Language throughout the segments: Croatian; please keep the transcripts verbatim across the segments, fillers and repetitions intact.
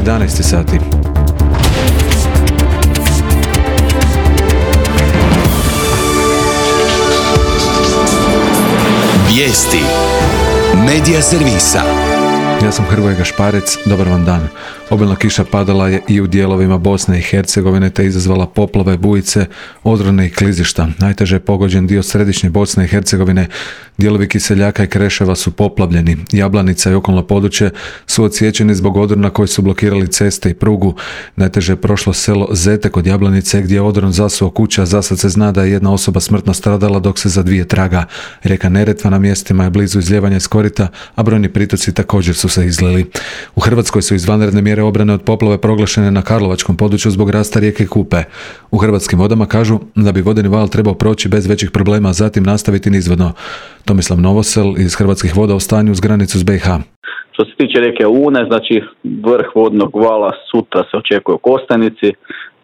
jedanaest sati. Vijesti Medija servisa. Ja sam Hrvoje Gašparec, dobar vam dan. Obilna kiša padala je i u dijelovima Bosne i Hercegovine te izazvala poplave, bujice, odrone i klizišta. Najteže je pogođen dio središnje Bosne i Hercegovine. Dijelovi Kiseljaka i Kreševa su poplavljeni. Jablanica i okolno područje su odsječeni zbog odrona koji su blokirali ceste i prugu. Najteže je prošlo selo Zete kod Jablanice gdje je odron zasuo kuća. Za sad se zna da je jedna osoba smrtno stradala dok se za dvije traga. Rijeka Neretva na mjestima je blizu izljevanja iz korita, a brojni pritoci također su se izlili. U Hrvatskoj su izvanredne mjere obrane od poplave proglašene na karlovačkom području zbog rasta rijeke Kupe. U Hrvatskim vodama kažu da bi vodeni val trebao proći bez većih problema, a zatim nastaviti nizvodno. Tomislav Novosel iz Hrvatskih voda o stanju uz granicu s B i H. Što se tiče rijeke Une, znači vrh vodnog vala sutra se očekuje u Kostajnici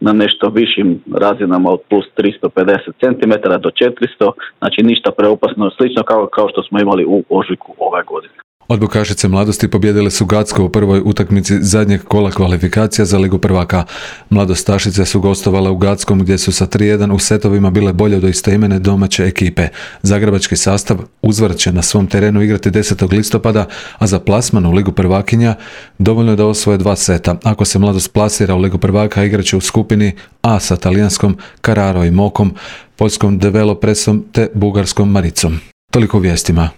na nešto višim razinama od plus tristo pedeset centimetara do četiristo, znači ništa preopasno, slično kao, kao što smo imali u ožujku ove godine. Odbojkašice Mladosti pobijedile su Gacko u prvoj utakmici zadnjeg kola kvalifikacija za Ligu prvaka. Mladostašice su gostovale u Gackom gdje su sa tri jedan u setovima bile bolje od istoimene domaće ekipe. Zagrebački sastav uzvrat će na svom terenu igrati desetog listopada, a za plasman u Ligu prvakinja dovoljno je da osvoje dva seta. Ako se Mladost plasira u Ligu prvaka, igraće u skupini A sa talijanskom Carraro i Mokom, poljskom Developresom te bugarskom Maricom. Toliko u vijestima.